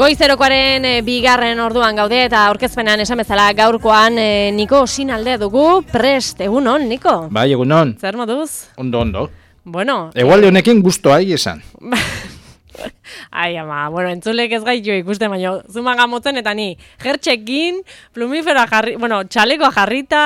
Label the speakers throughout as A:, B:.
A: Goizerokoaren bigarren orduan gaude eta aurkezpenan esan bezala gaurkoan Niko Osinaldea dugu prest. Egunon, Niko?
B: Bai, egunon.
A: Zer moduz?
B: Ondo.
A: Bueno.
B: Egualde honekin gustoa esan.
A: Ai, ama, bueno, entzulek ez gaitu ikusten, baina zumaga motzen eta ni jertxekin, plumifera jarri, bueno, txalekoa jarrita.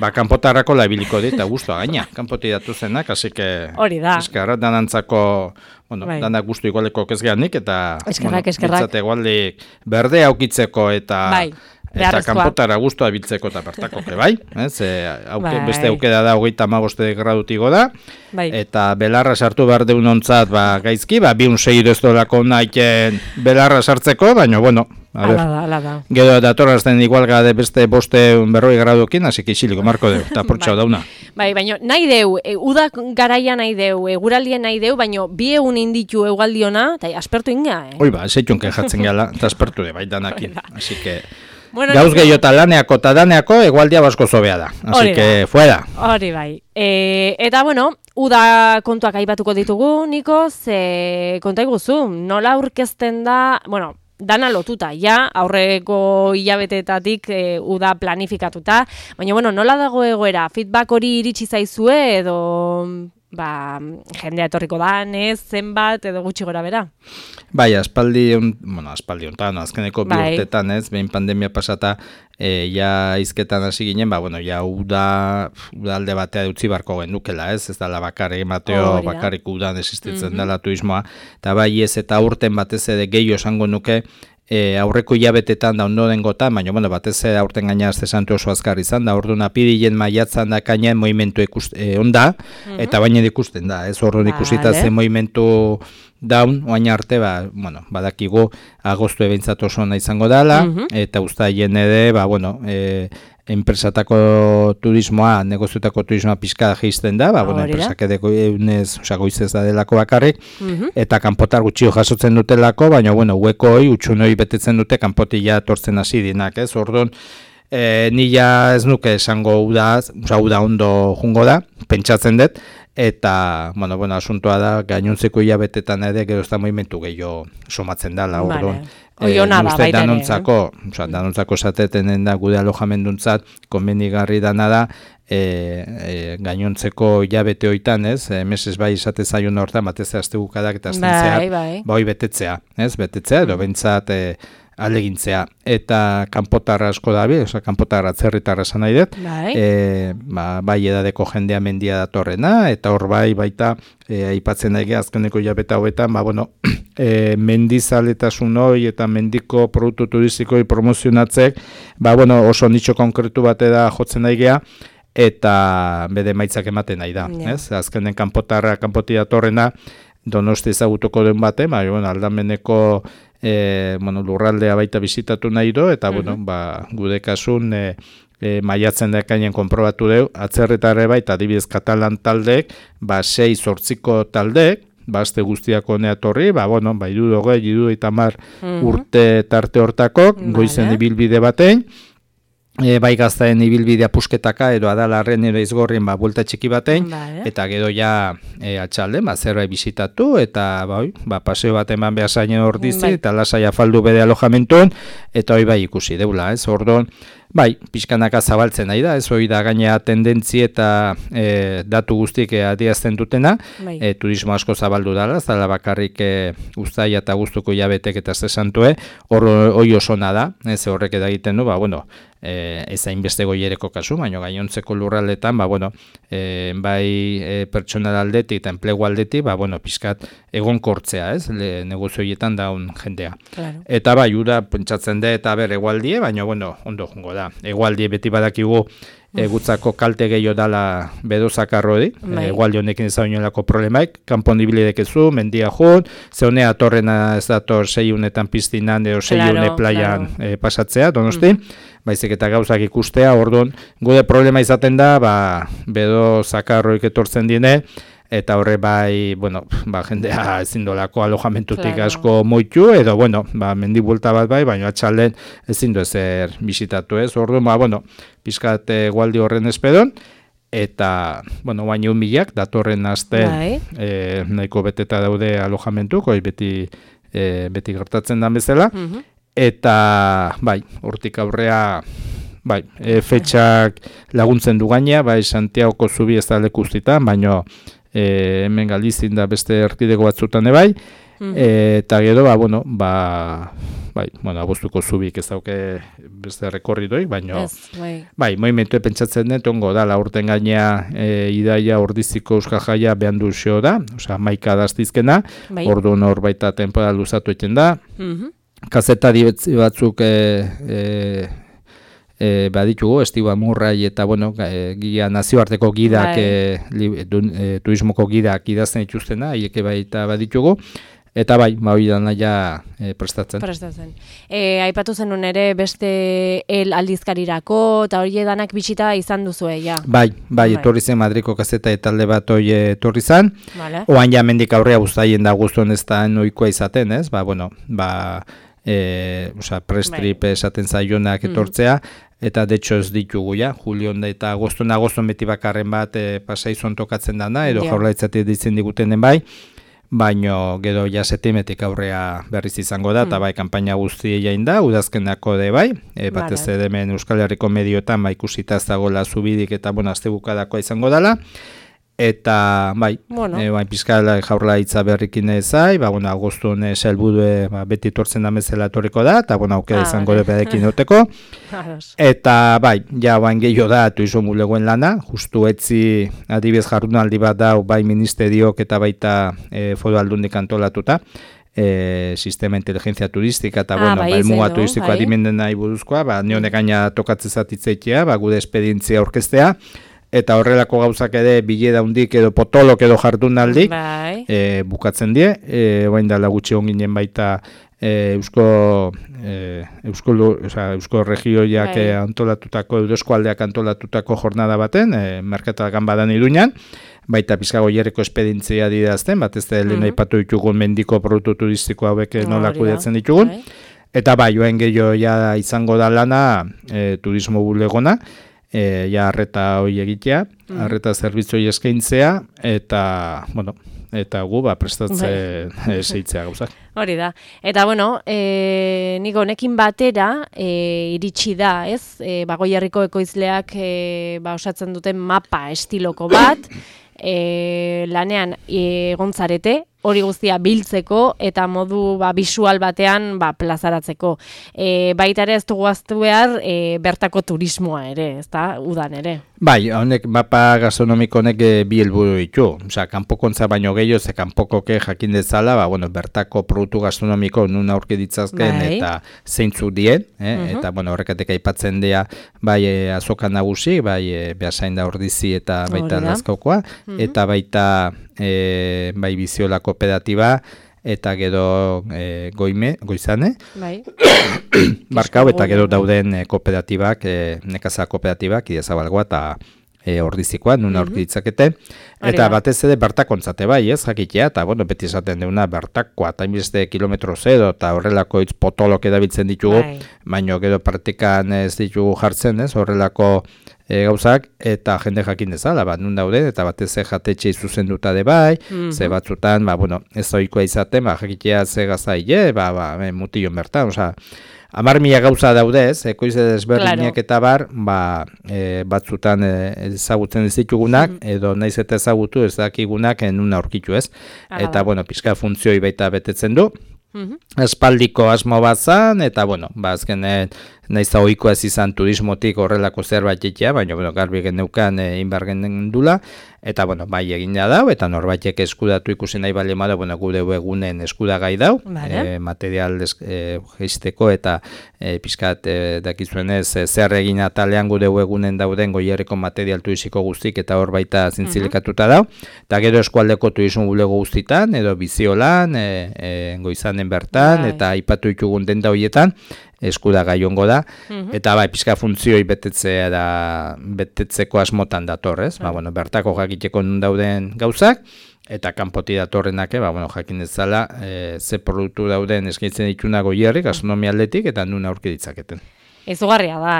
B: Ba, kanpotarrako labiliko dit, eta gustoa gaina, kanpoti datu zenak, así que...
A: Hori da.
B: Eskerra, danantzako, bueno, bai. Danak gustu igualeko kezgeanik, eta...
A: Eskerrak.
B: Bitzate egualdik berde aukitzeko eta...
A: Bai.
B: Eta kanpotara guztua biltzeko eta bertako, bai? Beste aukera da 35 gradutigo da, bai. Eta belarra sartu behar deunontzat gaizki, bi unsei doztolako nahiken belarra sartzeko, baina, bueno,
A: ala da.
B: Gero datorrazten igual gade beste 540 gradukin, hasi ixiliko marko deu, eta portxau dauna.
A: Bai, baina nahi deu, uda garaia nahi deu, eguraldien nahi deu, baina bi egun inditu egualdiona, eta aspertu inga,
B: Hoi ba, zeitun kejatzen gala, eta aspertu de bai danakin, hasi que...
A: Bueno,
B: gauz gehiago eta laneako eta daneako egualdia basko zobea da. Así que fuera.
A: Hori bai. Eta bueno, uda kontuak aipatuko ditugu, Niko, konta iguzu, nola aurkezten da, bueno, dana lotuta, ja, aurreko hilabetetatik uda planifikatuta, baina bueno, nola dago egoera, feedback hori iritsi zaizue edo... jendea etorriko da, zenbat edo gutxi gora bera.
B: Bai, aspaldi hontan, azkeneko bi urtetan, behin pandemia pasata, ja izketan hasi ginen, ja uda alde batea utzi barko gendukela, ez dala bakarrik Mateo, bakarrik udan existitzen dela turismoa, eta bai ez eta urten batez ere gehiago esango nuke, aurreko hilabetetan da ondo dengotan, baina batez aurten gaina azte santu oso azkar izan da, orduan apirilen maiatzan da kainen movimentu onda, eta baina ikusten da, ez orduan ikusita zen movimentu daun, oain arte, badakigu agostu ebeintzat oso ona izango dela, eta uztaien ere, enpresatako turismoa, negoziotako turismoa pixka jeizten da, enpresak edeko eunez, goizez da delako bakarrik, eta kanpotar gutxio jasotzen dutelako, baina, uekoi, utxunoi betetzen dute, kanpotila tortzen hasi dinak, ez? Orduan, nila ez nuke esango uda ondo jungo da, pentsatzen dut, eta, asuntoa da, gainontzeko hilabetetan ere, gero ez da movimentu gehiago somatzen dela, orduan. Uste danontzako esateten da gude alojamenduntzat, konbenigarri dana da, gainontzeko hilabete hoitan, meses bai esate zaion hortan, batez astebukadak eta astentzea, bai betetzea, edo bentsat alegintzea, eta kanpotarra asko dabi, kanpotarra atzerritarra esan nahi dut, bai edadeko jendea mendia datorrena, eta hor baita aipatzen daige azkeneko hilabete hauetan, mendizaletasun hori eta mendiko produktu turistikoi promozionatzek, oso nitxo konkretu bate da jotzen daigea, eta bede maitzak ematen nahi da, azkenen kanpoti datorrena, Donosti ezagutuko den bate, aldameneko lurraldea baita bizitatu nahi do, eta gude kasun maiatzen dekainen konprobatu deu, atzerritarre baita adibidez Katalan taldeek, 6-8 taldeek, azte guztiako neatorri, idu eta mar urte tarte hortako, goizen ibilbide batein, bai gaztaen ibilbidea pusketaka edo adalarren edo izgorrien buelta txiki batein, eta gero ja atxalden, zerbait bizitatu, eta paseo bat eman behar zainen hor dizi, eta lasai afaldu bede alojamentuen, eta hori ikusi deula, ez orduan, pixkanaka zabaltzen nahi da, ez hori da gainea tendentzi eta datu guztiek adierazten dutena, turismo asko zabaldu dala, zala bakarrik uztaia eta guztuko jabetek eta zesantue, hori osona da, ez horrek edagiten du, ez hainbeste goiereko kasu, baina gainontzeko lurraldetan, bai pertsonal aldetik eta enplegu aldetik, pixkat egonkortzea, ez, negozioietan daun jendea. Eta uda pentsatzen da eta egualdie, baina ondo jungo da. Egualdie beti badakigu gutzako kalte gehiago dala bedozakarrodi, egualdi honekin ez da oinolako problemaik, kanpon ibilidek ezu, mendia jun, zeunea atorrena ez dator 6 unetan piztinan edo 6 une playan pasatzea, Donosti, baizik eta gauzak ikustea, orduan, gude problema izaten da, bedo zakarroik etortzen dine, eta horre jendea ezin dolako alojamentutik asko moitu, edo, mendi buelta bat baina atxalden ezin du ezer bisitatu ez, orduan, pizkat gualdi horren espedon, eta, baina milak datorren aste nahiko beteta daude alojamentuk, beti beti gertatzen dan bezala, eta bai, hortik aurrea bai, fetxak laguntzen du gaina, bai, Santiagoko zubi ez da leku guztietan, baino hemen Galizien da beste erkidego batzutan bai, eta gero, abuztuko zubik ez dauke beste rekorridoi, baino, bai, movimentu pentsatzen dut, ongo da, urten gaina Idaia Ordiziko Euskal Jaia behan du xeo da, osea, 11 daztizkena, orduan hor baita temporal luzatu egiten da, kazetari batzuk baditugu, Estiba Murrai eta, nazioarteko gidak, turismoko gidak idazten dituztena, haieke baita baditugu, eta bai, hori dana ja prestatzen.
A: Aipatu zenun ere beste aldizkarirako, eta hori danak bitxita izan duzue, ja?
B: Bai, etorri zen Madriko kazeta talde bat hori etorri zen, oan ja mendik aurrea guztaien da guztuen ez da noikoa izaten, ez? Prestrip esaten zaionak etortzea, eta de hecho ez ditugu ja, Julion eta agoston beti bakarren bat pasaizon tokatzen dana, edo jaurlaritzatik ditzen digutenen bai, baino gero ja septiemretik aurrea berriz izango da, eta bai, kanpaina guzti jain da, udazkenako de bai, batez hemen Euskal Herriko medioetan ikusita ez dagoela zubidik eta astebukadakoa izango dela, eta bai, pizkala jaurlaritza berrikin ezai, agostun helburu beti etortzen da bezala etorriko da, eta aukera izango da bedekin duteko, eta bai, ja gehiago da turismo bulegoen lana, justu etzi adibidez jardunaldi bat dau bai ministeriok eta baita foru aldundik antolatuta, sistema inteligentzia turistika eta elmuga turistikoa dimenden nahi buruzkoa, neonek gaina tokatzen zatitzeitea, gure esperientzia orkestea, eta horrelako gauzak ere bilera hundik edo potolok edo jardunaldik bukatzen die, oain dela gutxi onginen baita Eusko regioiak antolatutako, Eusko aldeak antolatutako jornada baten, merkatagan badan Iruñan, baita pizkago jerreko espedientzia didazten, bat ez da lehen aipatu ditugun mendiko produktu turistiko hauek nola kudeatzen ditugun, eta bai, oain gehiago izango da lana turismo bulegona, arreta hori egitea, arreta zerbitzoi eskaintzea, eta, eta gu prestatzen zeitzea gauzak.
A: Hori da. Eta, nik honekin batera iritsi da, ez? Goierriko ekoizleak osatzen duten mapa estiloko bat, lanean egontzarete, hori guztia biltzeko eta modu bisual batean plazaratzeko. Baita ere ez dugu aztu behar bertako turismoa ere, ez da, udan ere.
B: Bai, honek mapa gastronomiko honek bi helburu ditu. Kanpokontza baino gehiago, ze kanpokoke jakin dezala, bertako produktu gastronomiko nun aurki ditzazken eta zeintzuk dien, eta horrekatek aipatzen dira bai azoka nagusi, bai Beasain da Ordizi eta baita Lazkaokoa, eta baita bai Biziola kooperatiba, eta gero Goizane, Barkau, eta gero dauden kooperatibak, nekazal kooperatibak, Idiazabalgoa eta Ordizikoa, nun aurki ditzakete, eta batez ere bertakontzate bai, ez, jakitea, eta beti esaten deuna bertakoa, eta inbeste kilometro zero, eta horrelako hitz potolok edabiltzen ditugu, baino gero praktikan ez ditugu jartzen, ez, horrelako gauzak, eta jende jakin dezala, nun dauden, eta batez jatetxe zuzenduta de bai, ze batzutan, ez ohikoa izaten, jakitea ze gazaile, mutilon bertan, oza, 10.000 gauza daude, ez, ekoize desberdinak eta bar, batzutan ezagutzen ez ditugunak, edo naiz eta ezagutu ez dakigunak nuna aurkitu, ez, eta, pizka funtzioi baita betetzen du, espaldiko asmo bat zan, eta, azkenen, naiz da ohikoa ez izan turismotik horrelako zerbait egitea, baina garbi geneukan inbargen dula, eta bai egina dau, eta norbaitek eskudatu ikusi nahi bale mada, gure egunen eskudagai dau, material geisteko eta pizkat dakizuenez zer egin atalean gure egunen dauden Goierriko material turistiko guztik eta hor baita zintzilekatuta dau, eta gero eskualdeko turismo bulego guztitan, edo Biziolan, Goizanen bertan, eta aipatu ditugun denda horietan, eskudagai ongo da, eta pizka funtzioi betetzeko asmotan datorrez, bertako jakiteko nun dauden gauzak, eta kanpoti datorrenak, jakin dezala, ze produktu dauden eskaintzen dituna Goierri, gastronomia aldetik, eta nun aurki ditzaketen.
A: Izugarria da,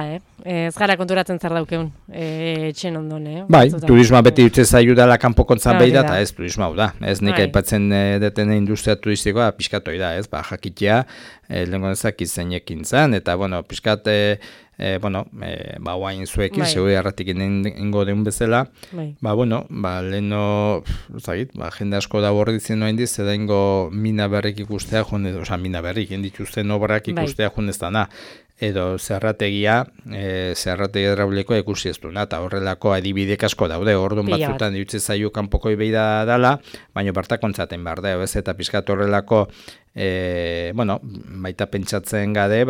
A: ez gara konturatzen zer daukeun, etxen ondon,
B: Bai, turismoa beti utze zaiu dela kanpokontzan behi da, eta ez turismoa da. Ez nik
A: Bai.
B: aipatzen deten industria turistikoa pixkatoi da, ez? Jakitea, lehenko nezak izenekin zan, eta, bueno, pixkat, guain zuekin,
A: Bai.
B: segure erratik ingo deun bezala,
A: Bai.
B: leheno, jende asko da borritzen noa indiz, eta ingo mina berrik ikustea, mina berrik, indituzten obrak ikustea junez dana. Edo zerrategia hidraulikoa ikusi ez duna, eta horrelako adibidek asko daude, orduan batzutan ditze zaio kanpokoi behi da dala, baina bartakontzaten behar da, ez eta pizkat horrelako, baita pentsatzen gade,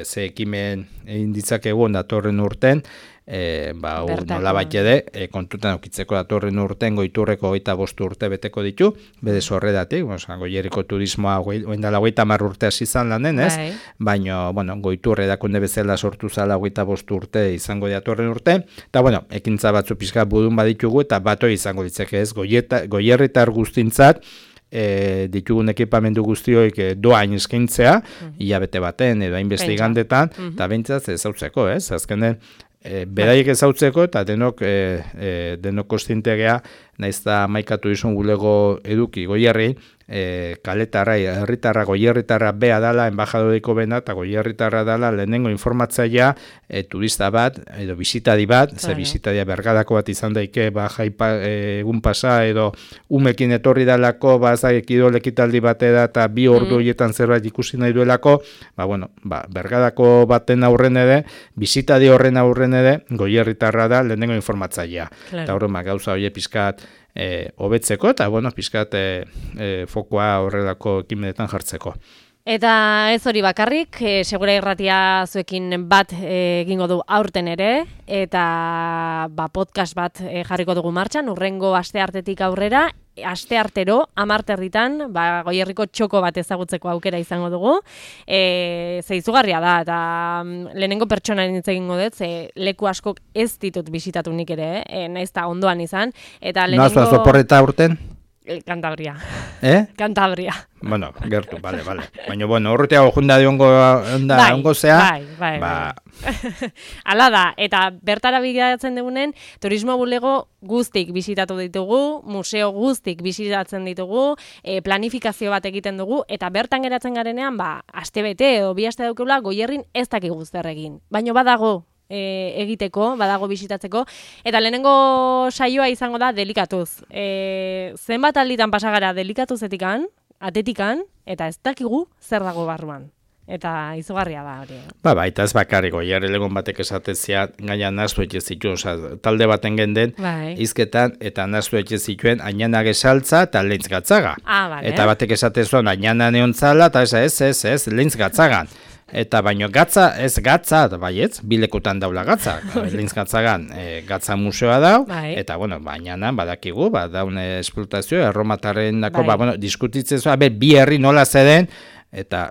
B: ze ekimen egin ditzakegu datorren urten, nola baitede, kontutan aukitzeko datorren urten goiturreko 25 urte beteko ditu, bede zorredatik, goierriko turismoa oindala 30 urte hasi izan lanen, ez? Baina, goiturre dakunde bezala sortu zala 25 urte izango datorren urte, eta, ekintza batzu pixka budun baditugu, eta batoi izango ditzake ez, goierritar guztintzat, ditugun ekipamendu guztioik doain eskaintzea, hilabete baten edo hainbeste igandetan, eta behintzat ezautzeko, ez? Azkenen, beraiek ezautzeko eta denok kostintegea naiz da maikatu izun gulego eduki goierri, kaletarra, herritarra, goierritarra bea dala, enbajadoriko bena, eta goierritarra dala lehenengo informatzailea turista bat, edo bisitadi bat, ze bisitadia bergadako bat izan daike, egun pasa, edo umekin etorri dalako, ekidol ekitaldi batera, eta 2 ordu horietan zerbait ikusi nahi duelako, bergadako baten aurren ere, bisitadi horren aurren ere, goierritarra da lehenengo informatzailea. Eta horren gauza hori pizkat hobetzeko, eta pizkat fokoa horrelako ekimenetan jartzeko.
A: Eta ez hori bakarrik, Segura Irratia zuekin bat egingo du aurten ere, eta podcast bat jarriko dugu martxan, urrengo asteartetik aurrera, asteartero, 10:00 Goierriko txoko bat ezagutzeko aukera izango dugu. Ze izugarria da, eta lehenengo pertsonaren hitz egingo dut, ze leku askok ez ditut bisitatu nik ere, naiz eta ondoan izan.
B: Noazua zoporreta urten?
A: Cantabria.
B: Cantabria. Gertu, bale. Baina, horretea junda ongo zea.
A: Bai. Hala da, eta bertara bideratzen dugunen, turismo bulego guztik bisitatu ditugu, museo guztik bisitatzen ditugu, planifikazio bat egiten dugu, eta bertan geratzen garenean, aste bete edo 2 aste daukela Goierrin ez dakigu zer egin. Baina badago egiteko, badago bisitatzeko, eta lehenengo saioa izango da delikatuz. Zenbat alditan pasagara delikatuzetikan, atetikan, eta ez dakigu zer dago barruan. Eta izugarria da hori.
B: Eta ez bakarrik, Goierri legon batek esatezia gaina naztu etxe zituen, talde baten genden, izketan, eta naztu etxe zituen, ainana gesaltza eta lehintz gatzaga. Eta batek esatezuan, ainana neontzala, eta ez, lehintz gatzagan. Eta baino gatza, ez gatza, baietz, bilekutan daula gatza. Lehintz gatzagan, gatza museoa dau, eta, baina badakigu, daun esplotazio, erromatarren dako, diskutitzen zua, bi herri nola zeden, eta,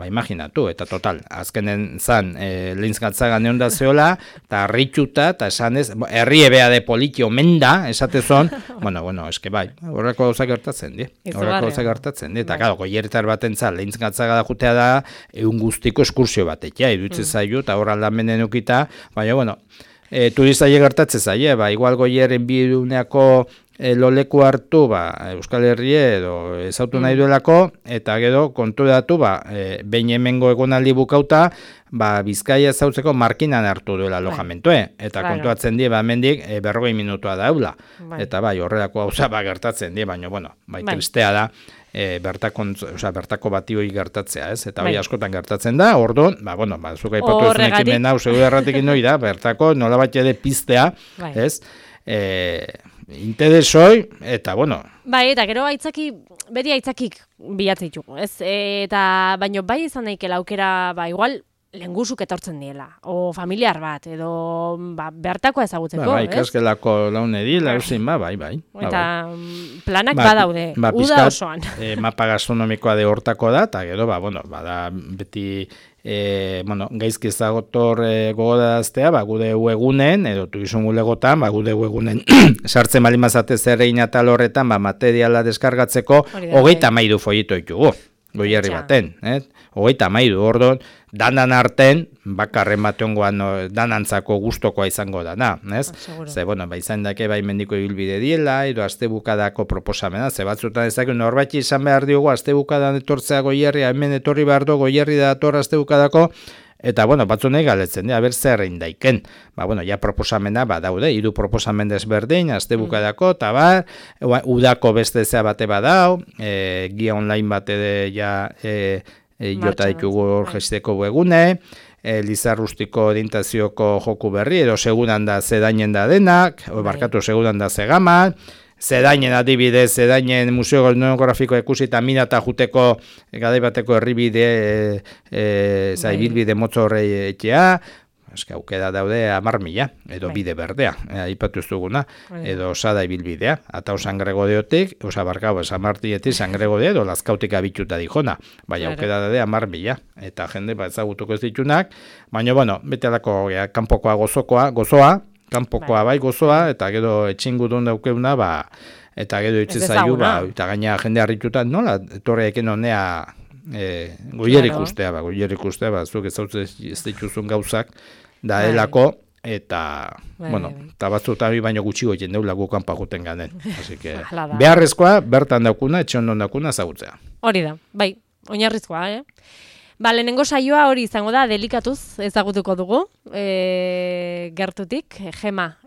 B: imaginatu, eta total, azkenen zan, lehintz gatzagan egon da zeola, eta harrituta, eta esan ez, herri ebea de politio menda, esatezon, eske horreko gauza gertatzen di. Eta, claro, Goierritar batentzat lehintz gatzaga da jutea da, egun guztiko eskursio batekia, iruditzen zaio, eta hor aldamenen ukita, baina, turistaile gertatzen zaie, igual Goierren biduneako loleku hartu, Euskal Herrie edo ezautu nahi duelako, eta gero konturatu, behin hemengo egonaldi bukauta, Bizkaia ezautzeko markinan hartu duela alojamentoe, eta kontuatzen die, hemendik 40 minutua daula. Eta horrelako gauza gertatzen die, baina, tristea da, bertako bati hori gertatzea, ez? Eta hori askotan gertatzen da, orduan, zuk aipatu ezun ekimen hau, Segura Irratekin hori da, bertako nolabait ere piztea, ez? Interesoi, eta,
A: eta gero beti aitzakik bilatzitugu, ez? Eta, baino izan daikela aukera, igual, lengusuk etortzen diela, o familiar bat, edo bertakoa ezagutzeko, ez?
B: Ikasgelako launedi, lauzin, bai.
A: Eta planak badaude, uda osoan.
B: Mapa gastronomikoa de hortako da, eta gero, bada beti, gaizki ezagotor gogoraztea, gude uegunen, edo turizun gulegotan, gude uegunen sartzen balimazate zer egin atal horretan, materiala deskargatzeko, 33 folleto ditugu. goierri baten, hogeita mairu, orduan, danan arten, bakarren bateongoan danantzako gustokoa izango dana, ez? Ze, bueno, izan dake bai mendiko ibilbide diela, edo astebukadako proposamena, ze batzutan ezak norbait izan behar diogu astebukadan etortzea goierria, hemen etorri behar du goierri da dator astebukadako, eta, bueno, batzu nahi galetzen, ber zer egin daiken. Bueno, ja proposamena, daude, 3 proposamen desberdin, astebukadako, eta udako beste zea bate badau, guia online bate ja jota ditugu gesteko egune, Lizarrustiko orientazioko joku berri, edo seguran da zedainen da denak, barkatu seguran da zegaman, zedainen adibidez, zedainen museo etnografiko ikusi eta minata juteko gadai bateko herribide, ibilbide motzo horrei etxea, eske aukera daude 10.000, edo bide berdea, aipatu ez duguna, edo osada ibilbidea, eta San Gregoreotik, barkau, San Martietik, San Gregore, edo Lazkautik abituta dijona, baina aukera daude 10.000, eta jende ezagutuko ez ditunak, baina, bueno, betelako kanpokoa gozoa, kanpokoa bai gozoa, eta gero etxingudun daukeuna, eta gero itse zaiu, eta gaina jende harrituta, nola, etorreekin honea goierik ustea, zuk ez dituzun gauzak, da helako, eta, bueno, eta batzutan baino gutxi goiten deula gukan paguten ganen. Así que, beharrezkoa, bertan daukuna, etxe ondon daukuna ezagutzea.
A: Hori da, bai, oinarrizkoa, lehenengo saioa hori izango da, delikatuz ezagutuko dugu, gertutik, Gema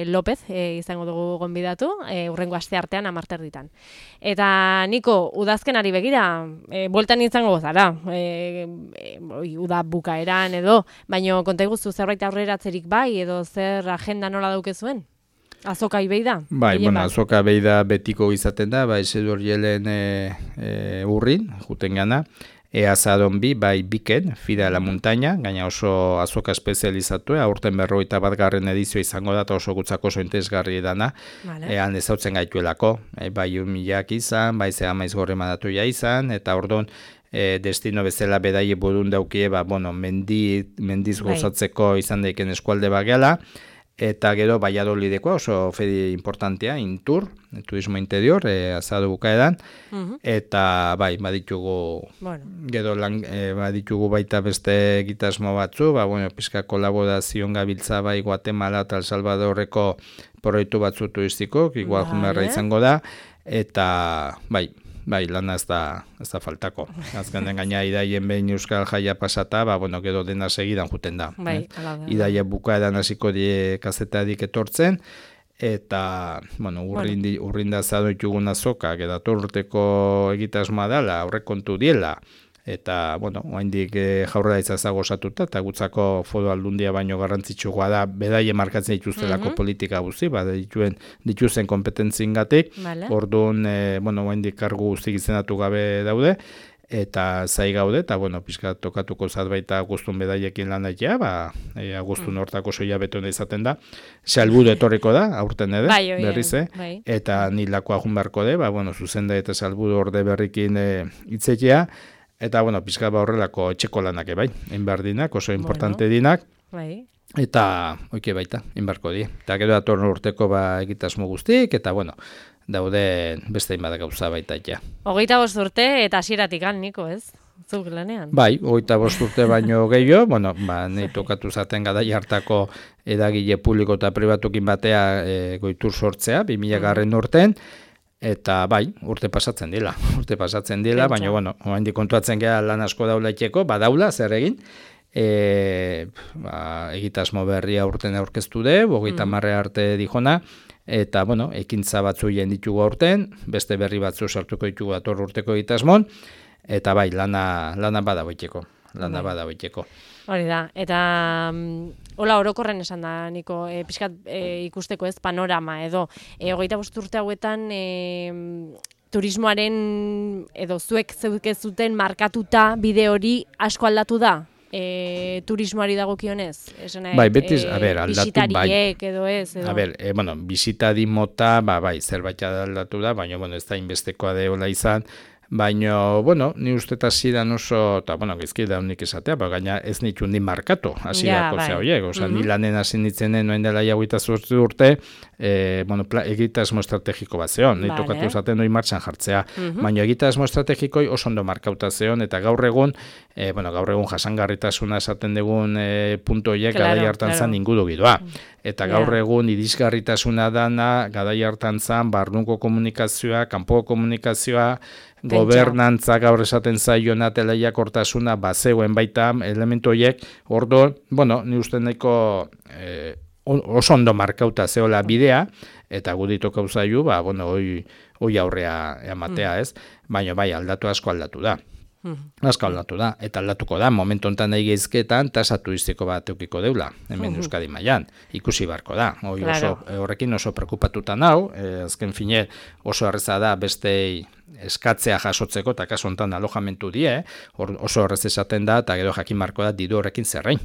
A: López izango dugu gonbidatu, urrengo aste artean 10:00. Eta Niko, udazkenari begira, bueltan izango zara, uda bukaeran edo, baino konta iguzu zerbait aurreratzerik bai, edo zer agenda nola daukezuen? Azoka ibei da?
B: Bai, bueno, azoka ibei da betiko izaten da, Esedor Jelen urrin, juten gana, Eazadon bai biken, Fida la Montaña, gaina oso azoka espezializatu, aurten 41. edizioa izango da, eta oso gutzako oso interesgarri dana, han ezautzen gaituelako, bai umilak izan, bai zea maiz gorre madatu ja izan, eta orduan, destino bezala bedaie burun daukie, mendiz gozatzeko izan daiken eskualde bagela, eta gero Valladolidekoa oso fedi importantea, Intur, turismo interior, azado bukaedan, eta bai, baditugu, gero baditugu baita beste egitasmo batzu, pizka kolaborazioan gabiltza bai Guatemala eta El Salvadorreko proiektu batzu turistiko, igual jumerra izango da, eta bai, lana ez da faltako. Azkenen gaina idaien behin Euskal Jaia pasata, gero dena segidan juten da. Idaia bukaeran hasiko die kazetarik etortzen, eta, urrinda zado ditugun azokak, edator urteko egitasmoa dela, aurrekontu diela, eta, oaindik jaurlaritza zagosatuta, eta gutzako foru aldundia baino garrantzitsua da, bedaie markatzen dituztelako politika guzi, dituzen kompetentziengatik, orduan, oaindik kargu guztik izendatu gabe daude, eta zai gaude, eta, pixka tokatuko zat baita guztun bedaiekin lan daitea, guztun hortako soia betona izaten da, salburu etorriko da, aurten edo, berriz, eta nilakoa junbarko de, zuzenda eta salburu orde berrikin itzetea, eta, pizka horrelako etxeko lanak bai, enbardinak, oso importante dinak, eta, oike baita, enbarko di. Eta gero datorren urteko egitasmo guztik, eta, daude beste inbada gauza baita ja.
A: 25 urte eta hasieratik Niko, ez? Zuk lanean?
B: Bai, 25 urte baino gehiago, nahi tokatu zaten gadai hartako edagile publiko eta pribatukin batea goitur sortzea, 2000 urten, eta bai, urte pasatzen dela, baina, oaindik kontuatzen gara lan asko daula itxeko, badaula, zer egin, egitasmo berria urten aurkeztu de, 30 arte dijona, eta, ekintza batzu jen ditugu aurten, beste berri batzu sartuko ditugu dator urteko egitasmon, eta bai, lana badagoiteko.
A: Hori da, eta hola orokorren esan da, Niko, pixkat ikusteko ez panorama edo, 25 urte hauetan turismoaren edo zuek zeukezuten markatuta bide hori asko aldatu da? Turismoari dagokionez?
B: Bai, betiz, aldatu bai.
A: Bisitariek edo ez?
B: Bisitari mota, zerbait aldatu da, baina ez da inbestekoa deola izan, Baina, bueno, ni uste eta zidan oso, eta, bueno, gizki da unik esatea, gaina ez nitu ni markatu, hasierako zea horiek, ni lanen hasi nitzenen noen dela jaguita urte, bueno, egitasmo estrategiko bat zeon, ni tokatu zaten noi martxan jartzea, baina egitasmo estrategikoi oso ondo markauta zeon, eta gaur egun jasangarritasuna esaten dugun puntu horiek garai hartan zan ingudu gidoa. Eta gaur egun irisgarritasuna dana, garai hartan zan, barnuko komunikazioa, kanpoko komunikazioa, gobernantza gaur esaten zaiona teleiakortasuna bazegoen baita elementu horiek, orduan, bueno, ni uste nahiko oso ondo markauta zeola bidea, eta guditok hau zaiu, bueno, hoi aurrea ematea, ez? Baina bai, asko aldatu da. Asko aldatu da, eta aldatuko da, momentu honetan nahi geizketan, tasa turistiko bat eukiko deula, hemen Euskadi mailan, ikusi barko da. Horrekin oso preokupatuta nau, azken fine oso erreza da bestei eskatzea jasotzeko, eta kasu honetan alojamentu die, oso errez esaten da, eta gero jakin marko da diru horrekin zerrein.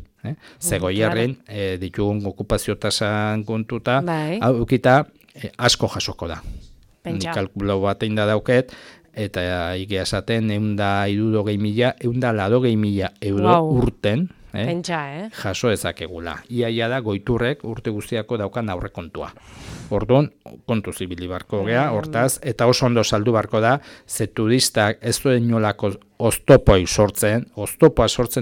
B: Zegoierren ditugun okupazio tasan kontuta, eukita asko jasoko da. Kalkulau bat egin da dauket, eta egia esaten 160.000 euro urten jaso ezakegula. Iaia da goiturrek urte guztiako daukan aurrekontua. Orduan, kontu zibili barko gea, hortaz, eta oso ondo saldu barko da, ze turistak ez duen nolako oztopoa sortzen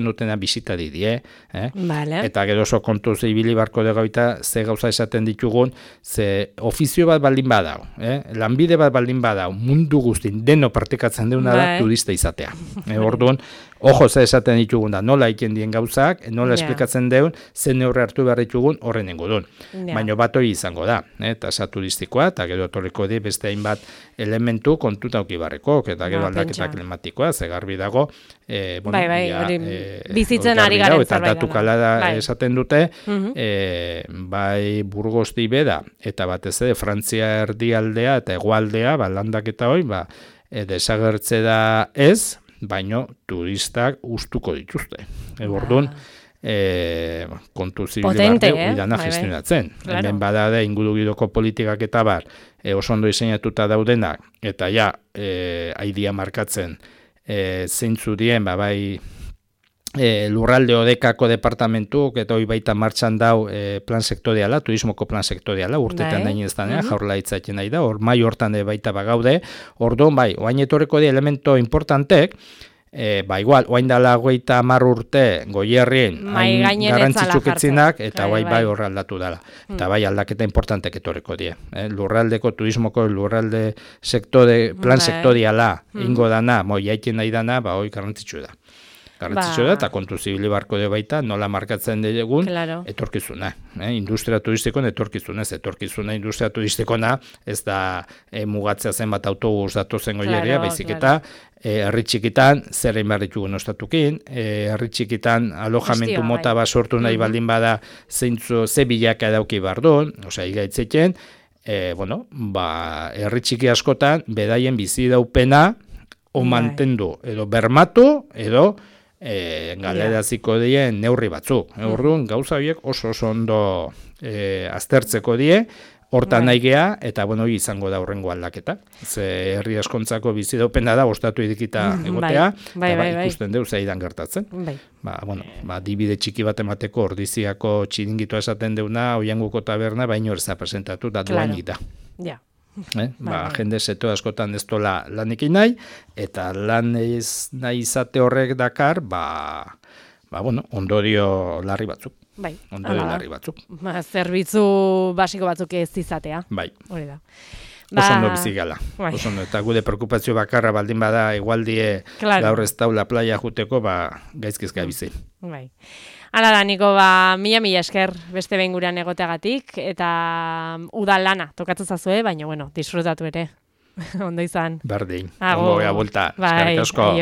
B: dutena bisitari die, eta gero oso kontu zibili barko dugu eta ze gauza esaten ditugun, ze ofizio bat baldin badau, lanbide bat baldin badau, mundu guztin deno praktikatzen deuna da turista izatea. Orduan, ojo ze esaten ditugun da, nola iken dien gauzak, nola esplikatzen deun, ze neurre hartu behar ditugun horren ingodun. Baina bat hori izango da, tasa turistikoa, eta gero etorriko di beste hainbat elementu kontuta ukibarreko, eta gero aldaketa klimatikoa, ze garbi dago,
A: bizitzen ari garen
B: zerbait da. Eta datu kalada esaten dute, bai Burgosti beda, eta batez ere Frantzia erdialdea eta hegoaldea, landaketa hori, desagertze da ez, baino turistak ustuko dituzte. Orduan, kontu zibili bat idana gestionatzen. Hemen badade ingurugidoko politikak eta bar, oso ondo diseinatuta daudenak, eta ja, aidia markatzen zeintzu dien, bai lurralde odekako departamentuk, eta hoi baita martxan dau plan sektoriala, turismoko plan sektoriala, urtetan dain ez danean, jaurlaritzatzen nahi da, hor mai hortan baita bagaude, orduan oain etorreko di elemento importantek, igual, oain dala 50 urte goierrien garrantzitsuketzinak, eta bai horre aldatu dela. Eta bai aldaketa importantek etorreko die. Lurraldeko turismoko lurralde plan sektoriala ingo dana, jaikin nahi dana, hoi garrantzitsu da. Eta kontu zibili barko de baita, nola markatzen dugun, etorkizuna. Industria turistikoen etorkizuna industria turistikona, ez da mugatzea zenbat autobus datozen goieria, baizik eta herri txikitan zer egin behar ditugun ostatukin, herri txikitan alojamentu mota bat sortu nahi baldin bada ze bilaka dauki bardun, osea, igaitzeken, herri txiki askotan, bedaien bizi daupena, o mantendu, edo bermatu, edo galeraziko dien neurri batzuk. Orduan, gauza horiek oso ondo aztertzeko die, hortan nahi geha, eta hori izango da horrengo aldaketa. Ze herri askontzako bizi daupena da, ostatu edikita egotea, eta ikusten deu zaidan gertatzen. Dibide txiki bat emateko ordiziako txiringitua esaten deuna, oianguko taberna, baino erza presentatu, da duainik da. Jende seto askotan ez dola lanekin nahi, eta lan ez nahi izate horrek dakar, ondorio larri batzuk. Larri batzuk.
A: Zerbitzu basiko batzuk ez izatea. Hori da.
B: Oso ondo bizi gala. Eta gude preokupazio bakarra baldin bada igualdie gaur ez daula playa juteko, gaizkizka bizi.
A: Hala da, Niko, mila esker beste behin gurean egoteagatik, eta udal lana tokatu zazue, baina, disfrutatu ere. Ondo izan.
B: Berdin. Ondo gea bulta.
A: Eskerrik asko.